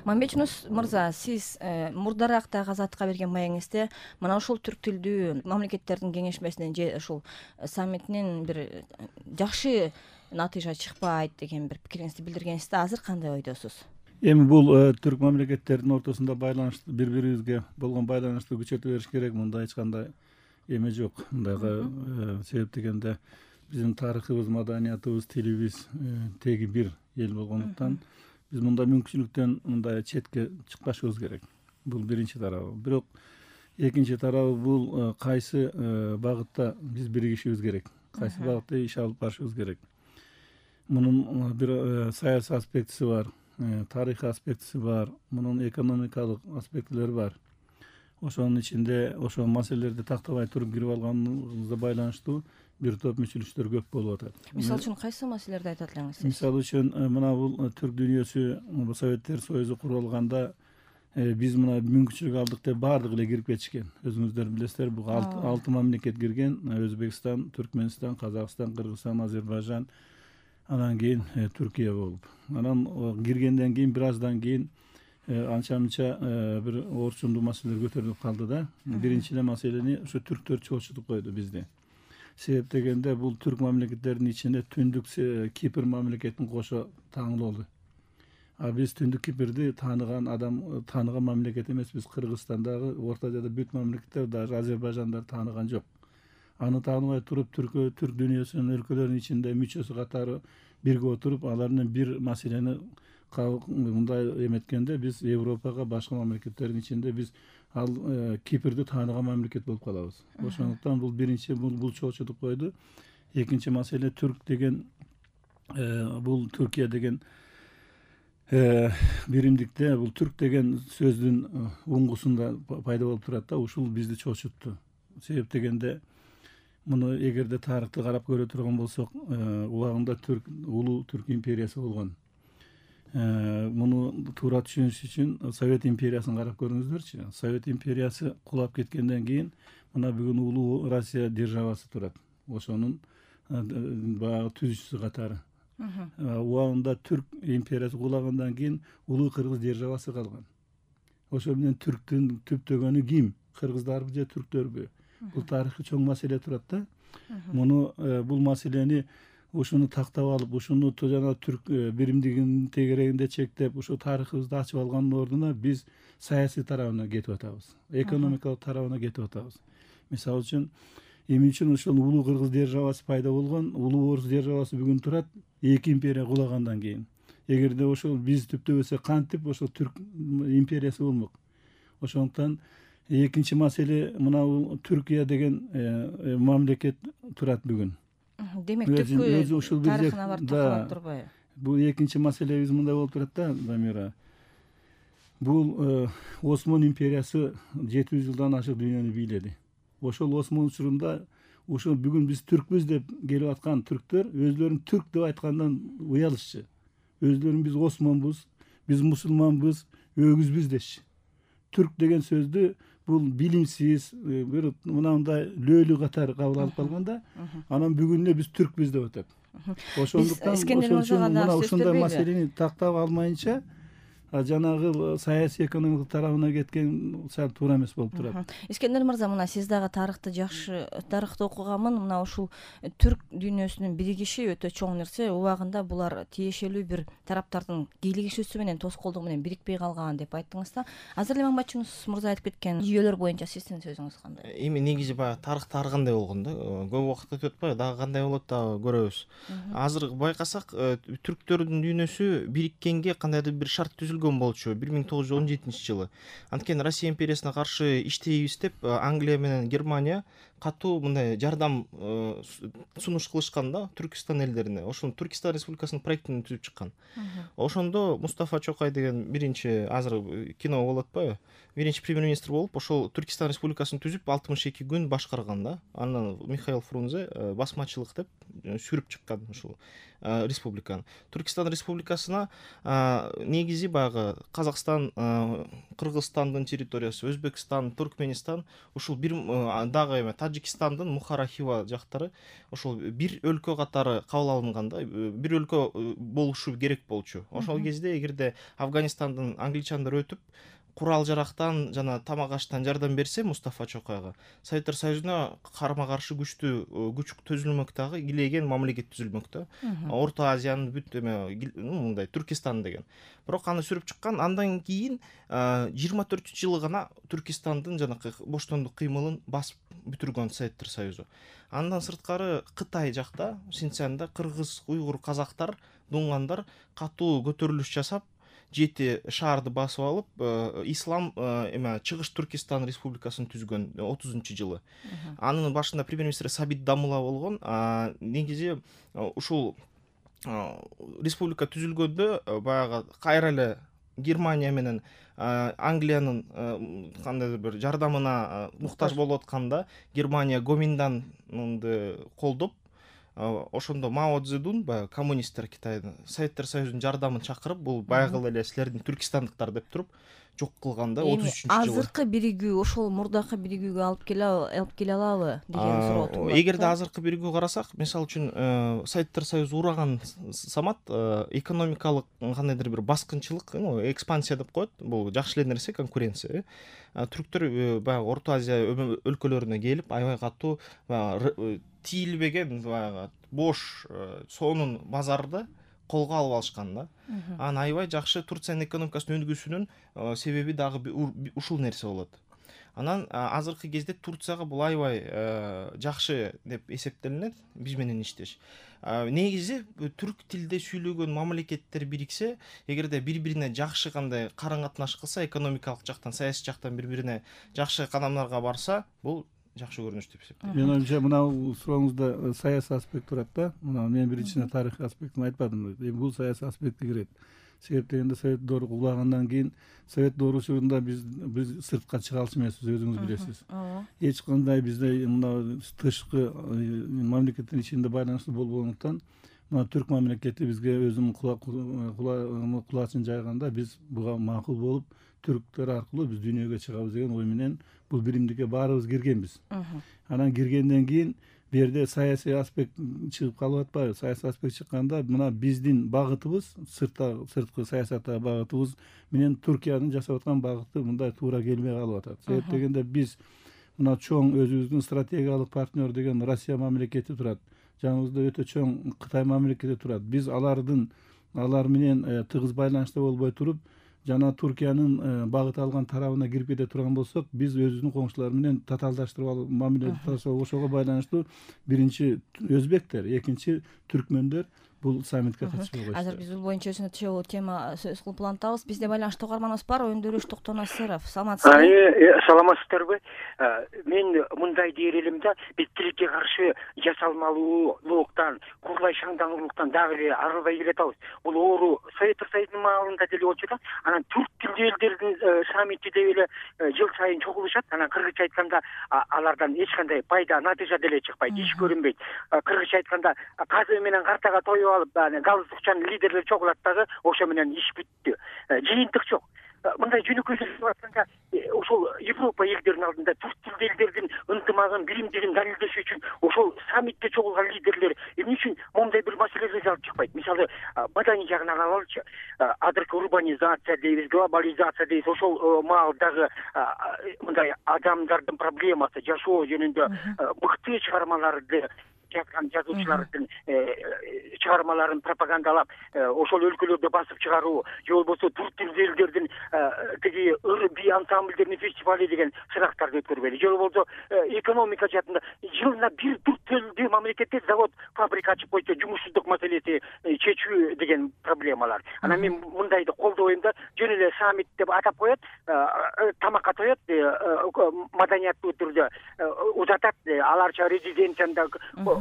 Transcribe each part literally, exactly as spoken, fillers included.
Мамбет Жунус мырза, сиз мурдаракта Азаттыкка берген маегиңизде мына ушул түрк тилдүү мамлекеттердин кеңешмесинен же ушул саммитинен бир жакшы натыйжа чыкпайт деген бир пикириңизди билдиргенсиз да, азыр кандай ойдосуз? Эми бул түрк мамлекеттердин ортосунда байланышты бири бирибизге болгон байланышты күчөтө бериш керек. Мында эч кандай эме жок. Мындайга себеп дегенде биздин тарыхыбыз, маданиятыбыз, тилибиз теги бир эл болгондуктан биз мында мүмкүнчүлүктөн мындай четке чыкпашыбыз керек. Бул биринчи тарабы. Бирок экинчи тарабы бул кайсы багытта биз биригишибиз керек, кайсы багытта иш алып барышыбыз керек. Мунун бир саясий аспектиси бар, тарыхый аспектиси бар, мунун экономикалык аспектилери бар. Ошонун ичинде ошол маселелерди тактабай туруп кирип алганыбызга байланыштуу бир топ мүчүлүштөр көп болуп атат. Мисалы үчүн кайсы маселелерди айтат элеңиз? Мисалы үчүн мына бул түрк дүйнөсү Советтер Союзу курулганда биз мына мүмкүнчүлүк алдык деп баардыгы эле кирип кетишкен. Өзүңүздөр билесиздер, бул алты мамлекет кирген: Өзбекстан, Түркмөнстан, Казакстан, Кыргызстан, Азербайжан, анан кийин Түркия болуп. Анан киргенден кийин бир аздан кийин анча-мынча бир орчундуу маселелер көтөрүлүп калды да. Биринчи эле маселени ушу түрктөр чоочутуп койду бизди. Себеп дегенде бул түрк мамлекеттеринин ичинде Түндүк Кипр мамлекетин кошо таңылоолу. А биз Түндүк Кипрди тааныган адам, тааныган мамлекет эмеспиз. Кыргызстандагы, Орто Азиядагы бүт мамлекеттер, даже Азербайжандар тааныган жок. Аны тааныбай туруп түрк түрк дүйнөсүнүн өлкөлөрүнүн ичинде мүчөсү катары бирге отуруп, алардын бир маселени мындай эметкенде биз Европага, башка мамлекеттердин ичинде биз ал Кипрди тааныган мамлекет болуп калабыз. Ошондуктан бул биринчи бул чоочутуп койду. Экинчи маселе түрк деген бул Түркия деген биримдикте бул түрк деген сөздүн уңгусунда пайда болуп турат да, ушул бизди чоочутту. Себеп дегенде муну эгерде тарыхты карап көрө турган болсок, убагында түрк улуу түрк империясы болгон. Муну туура түшүнүш үчүн Совет империясын карап көрүңүздөрчү. Совет империясы кулап кеткенден кийин мына бүгүн улуу Россия державасы турат. Ошонун баягы түзүүчүсү катары. Убагында түрк империясы кулагандан кийин улуу Кыргыз державасы калган. Ошо менен түрктүн түптөгөнү ким? Кыргыздарбы же түрктөрбү? Бул тарыхый чоң маселе турат да. Муну бул маселени ушуну тактап алып, ушуну жана түрк биримдигинин тегерегинде чектеп, ушу тарыхыбызды ачып алгандын ордуна биз саясий тарабына кетип атабыз, экономикалык тарабына кетип атабыз. Мисалы үчүн, эмне үчүн ушул улуу Кыргыз державасы пайда болгон? Улуу Орус державасы бүгүн турат эки империя кулагандан кийин. Эгерде ошол биз түптөбөсө кантип ошол түрк империясы болмок? Ошондуктан экинчи маселе мына бул Түркия деген мамлекет турат бүгүн. Демек түркү тарыхына барып такалап турбайбы? Бул экинчи маселебиз мындай болуп турат да, Замира. Бул Осман империясы жети жүз жылдан ашык дүйнөнү бийледи. Ошол Осман учурунда ушул бүгүн биз түркпүз деп келип аткан түрктөр өзлөрүн түрк деп айткандан уялышчы. Өзлөрүн биз Османбыз, биз мусулманбыз, өгүзбүз дешчи. Түрк деген сөздү бул билимсиз, бир мынандай лөлү катары кабыл алып калганда, анан бүгүн эле биз түркпүз деп атат. Ошондуктан мына ушундай маселени тактап алмайынча жанагы саясий экономикалык тарабына кеткен сал туура эмес болуп турат. Искендер мырза, мына сиз дагы тарыхты жакшы тарыхты окуганмын. Мына ушул түрк дүйнөсүнүн биригиши өтө чоң нерсе. Убагында булар тиешелүү бир тараптардын кийлигишүүсү менен, тоскоолдугу менен бирикпей калган деп айттыңыз да. Азыр эле Мамбет Жунус мырза айтып кеткен жүйөлөр боюнча сиздин сөзүңүз кандай? Эми негизи баягы тарыхта ар кандай болгон да. Көп убакыт өтүп атпайбы, дагы кандай болот дагы көрөбүз. Азыр байкасак, түрктөрдүн дүйнөсү бириккенге кандайдыр бир шарт түзүлгөн болчу бир миң тогуз жүз он жетинчи жылы. Анткени Россия империясына каршы иштейбиз деп Англия менен Германия катуу мындай жардам сунуш кылышкан да Түркистан элдерине. Ошону Түркистан Республикасынын проектин түзүп чыккан. Ошондо Мустафа Чокай деген биринчи, азыр кино болуп атпайбы, биринчи премьер-министр болуп, ошол Түркистан Республикасын түзүп алтымыш эки күн башкарган да. Анан Михаил Фрунзе басмачылык деп сүрүп чыккан ушул республиканы. Түркистан республикасына негизи баягы Казакстан, Кыргызстандын территориясы, Өзбекстан, Туркменистан, ушул бир дагы эме Таджикстандын Мухара Хива жактары ошол бир өлкө катары кабыл алынганда, бир өлкө болушу керек болчу. Ошол кезде эгерде Афганистандын англичандар өтүп курал жарактан жана тамак аштан жардам берсе Мустафа Чокойго, Советтер Союзуна карама каршы күчтүү күч төзүлмөк дагы, килеген мамлекет түзүлмөк да. Орто Азиянын бүт эме мындай Түркистан деген. Бирок аны сүрүп чыккан, андан кийин жыйырма төртүнчү жылы гана Түркистандын жанакы боштондук кыймылын басып бүтүргөн Советтер Союзу. Андан сырткары Кытай жакта, Синцзянда кыргыз, уйгур, казактар, дуңгандар катуу көтөрүлүш жасап, жети шаарды басып алып, ислам эме Чыгыш Түркистан республикасын түзгөн отузунчу жылы. Анын башында премьер-министр Сабит Дамула болгон. Негизи ушул республика түзүлгөндө баягы кайра эле Германия менен Англиянын кандайдыр бир жардамына муктаж болуп атканда, Германия Гоминданды колдоп, ошондо Мао Цзэдун, баягы коммунисттер Китайдын Советтер Союзунун жардамын чакырып, бул баягы эле силердин түркистандыктар деп туруп жок кылганда отуз үчүнчү жылы. Азыркы биригүү ошол мурдакы биригүүгө алып келе алып келе алабы деген суроо туулат. Эгерде азыркы биригүүгө карасак, мисалы үчүн Советтер Союзу ураган самат экономикалык кандайдыр бир баскынчылык, экспансия деп коет. Бул жакшы эле нерсе, конкуренция. Түрктөр баягы Орто Азия өлкөлөрүнө келип, аябай катуу баягы тийилбеген баягы бош сонун базарды колго алып алышкан да. Анан аябай жакшы Турциянын экономикасынын өндүгүсүнүн себеби дагы ушул нерсе болот. Анан азыркы кезде Турцияга бул аябай жакшы деп эсептелинет биз менен иштеш. Негизи түрк тилде сүйлөгөн мамлекеттер бириксе, эгерде бири-бирине жакшы кандай карым-катнаш кылса, экономикалык жактан, саясий жактан бири-бирине жакшы кадамдарга барса, бул жакшы көрүнүш деп эсептейм. Мен оюмча мына сурооңузда саясий аспект турат да. Мына мен биринчиден тарыхый аспектин айтпадым. Бул саясий аспектке кирет. Себеп дегенде Совет доору кулагандан кийин Совет доорусунда биз биз сыртка чыга алчу эмеспиз, өзүңүз билесиз. Эч кандай бизде мына тышкы мамлекеттин ичинде байланыштуу болбогондуктан, мына түрк мамлекети бизге өзүнүн кулачын жайганда, биз буга макул болуп, түрктөр аркылуу биз дүйнөгө чыгабыз деген ой менен бул биримдикке баарыбыз киргенбиз. Анан киргенден кийин бу жерде саясий аспект чыгып калып атпайбы? Саясий аспект чыкканда, мына биздин багытыбыз, сыртта сырткы саясаттагы багытыбыз менен Түркиянын жасап аткан багыты мындай туура келбей калып атат. Себеп дегенде биз мына чоң өзүбүздүн стратегиялык партнер деген Россия мамлекети турат. Жаныбызда өтө чоң Кытай мамлекети турат. Биз алардын алар менен тыгыз байланышта болбой туруп, жана Түркиянын багыт алган тарабына кирип кете турган болсок, биз өзүбүздүн коңшулар менен татаалдаштырып алып мамиле жасап, ошого байланыштуу биринчи өзбектер, экинчи түркмөндөр бул саммитке катышпай койушту. Азыр биз бул боюнча өзүнө тишөө тема сөз кылып улантабыз. Бизде байланыштуу угарманыбыз бар, Өндүрүш Токтонасыров. Саламатсызбы? Саламатсыздарбы? Мен мындай дээр элем да, биз тилекке каршы жасалмалуулуктан, курлай шаңдануулуктан дагы эле арылбай келатабыз. Бул оору Советтер Союзунун маалында деле болчу да. Анан түрк тилдүү элдердин саммити деп эле жыл сайын чогулушат. Анан кыргызча айтканда алардан эч кандай пайда, натыйжа деле чыкпайт, иш көрүнбөйт. Кыргызча айтканда казы менен картага тоюп алып, галстукчан лидерлер чогулат дагы, ошо менен иш бүттү. Жыйынтык жок. Мындай жөнөкөй сөз айтканда, ошол Европа элдеринин алдында түрк тилдүү элдердин ынтымагын, биримдигин далилдеш үчүн ошол саммитте чогулган лидерлер эмне үчүн моундай бир маселелерди алып чыкпайт? Мисалы, маданий жагынан алалычы. Азыркы урбанизация дейбиз, глобализация дейбиз. Ошол маалдагы мындай адамдардын проблемасы, жашоо жөнүндө мыкты чыгармаларды жазган жазуучулардын чыгармаларын пропагандалап, ошол өлкөлөрдө басып чыгаруу, же болбосо түрк тилдүү элдердин тиги ыр би ансамбльдеринин фестивали деген сынактарды өткөрбөйдү. Же болбосо экономика жаатында жылына бир түрк тилдүү мамлекетте завод, фабрика ачып койсо, жумушсуздук маселеси чечүү деген проблемалар. Анан мен мындайды колдобойм да, жөн эле саммит деп атап коет, тамакка тоет, маданиятты түрдө узатат, аларча резиденцияда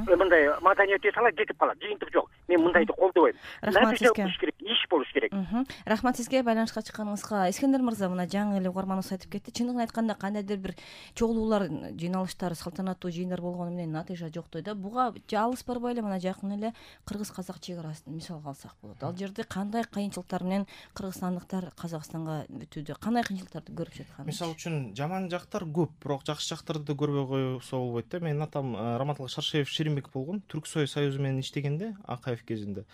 мындай маданият эте сала кетип калат, жыйынтык жок. Мен мындайды колдобойм. Рахмат сизге. Болуш керек, иш болуш керек. Рахмат сизге байланышка чыкканыңызга. Искендер мырза, мына жаңы эле угарманыбыз айтып кетти. Чындыгын айтканда кандайдыр бир чогулуулар, жыйналыштар, салтанаттуу жыйындар болгону менен натыйжа жоктой да. Буга алыс барбай эле мына жакын эле кыргыз-казак чек арасын мисалга алсак болот. Ал жерде кандай кыйынчылыктар менен кыргызстандыктар Казакстанга өтүүдө кандай кыйынчылыктарды көрүп жаткан? Мисалы үчүн жаман жактар көп, бирок жакшы жактарды да көрбөй койсо болбойт да. Менин атам Раматылык Шаршеев Шеримбек болгон. Түрксой союзу менен иштегенде Акаев кезинде.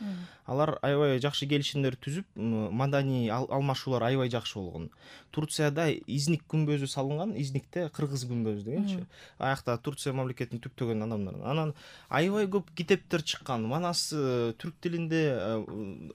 Алар аябай жакшы келишимдер түзүп, маданий алмашуулар аябай жакшы болгон. Турцияда Изник күмбөзү салынган, Изникте кыргыз күмбөзү дегенчи. Аякта Турция мамлекетин түптөгөн адамдар. Анан аябай көп китептер чыккан. Манас түрк тилинде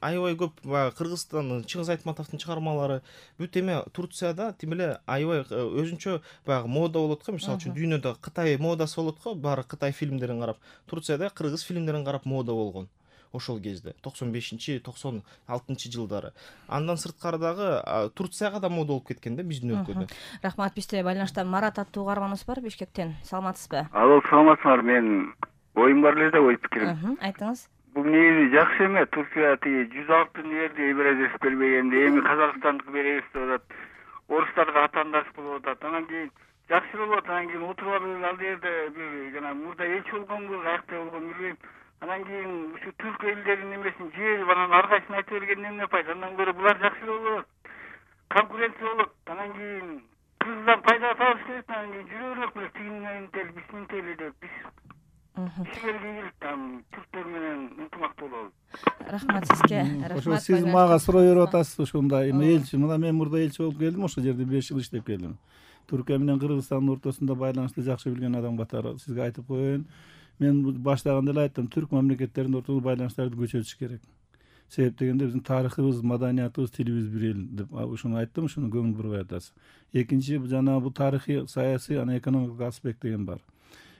аябай көп Кыргызстан, Чыңгыз Айтматовдун чыгармалары. Бүт эме Турцияда тим эле аябай өзүнчө баягы мода болот го. Мисалы үчүн дүйнөдө Кытай модасы болот го, баары Кытай фильмдерин карап. Турцияда кыргыз фильмдерин карап мода болгон. Ошол кезде токсон бешинчи токсон алтынчы жылдары. Андан сырткары дагы Турцияга да мода болуп кеткен да биздин өлкөдө. Рахмат. Бизде байланышта Марат аттуу угарманыбыз бар Бишкектен. Саламатсызбы? Алло, саламатсызбы. Мен оюм бар эле да, ой пикирим. Айтыңыз. Бул негизи жакшы эме. Турция тиги жүз алтын жерди эбиразес бербегенде эми Казакстандык беребиз деп атат. Орустарга атаандаш болуп атат. Анан кийин жакшы болуп атат. Анан кийин отуруп алып ал жерде бир жана мурда элчи болгонбу, каякта болгон билбейм. Анан кийин ушу түрк элдеринин немесин жиберип анан ар кайсын айтып бергенден эмне пайда? Андан көрө булар жакшы болот. Конкуренция болот. Анан кийин кыргыздан пайда табыш керек. Анан кийин жүрө бермек беле тигинтели, биздинтели деп биз. Силерге там түрктөр менен ынтымактуу болобуз. Рахмат сизге. Ошо сиз мага суроо берип атасыз ушундай. Элчи, мына мен мурда элчи болуп келдим, ошол жерде беш жыл иштеп келдим. Түркия менен Кыргызстандын ортосунда байланышты жакшы билген адам катары сизге айтып коеюн. Мен баштаганда эле айттым, түрк мамлекеттеринин ортосунда байланыштарды күчөтүш керек. Себеп дегенде биздин тарыхыбыз, маданиятыбыз, тилибиз бир эл деп ушуну айттым, ушуну көңүл бурбай атасыз. Экинчи, жана бул тарыхый, саясий, анан экономикалык аспект деген бар.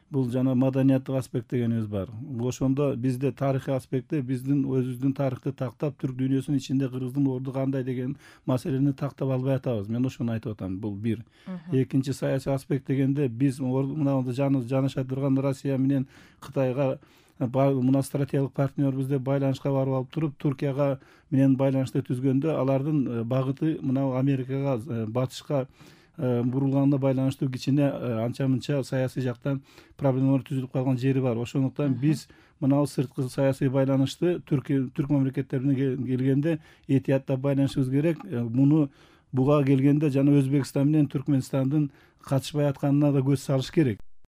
Бул жана маданияттык аспект дегенибиз бар. Ошондо бизде тарыхый аспектте биздин өзүбүздүн тарыхты тактап, түрк дүйнөсүнүн ичинде Кыргыздын орду кандай деген маселени тактап албай атабыз. Мен ошону айтып атам. Бул бир. Экинчи, саясий аспект дегенде биз мына жанаша турган Россия менен Кытайга мына стратегиялык партнербиз деп байланышка барып алып туруп, Туркияга менен байланышты түзгөндө алардын багыты мына Америкага, батышка бурулганына байланыштуу кичине анча-мынча саясий жактан проблемалар түзүлүп калган жери бар. Ошондуктан биз мына сырткы саясий байланышты түрк түрк мамлекеттерине келгенде этияттап байланышыбыз керек. Муну буга келгенде жана Өзбекстан менен Түркмөнстандын катышпай атканына да көз салыш керек.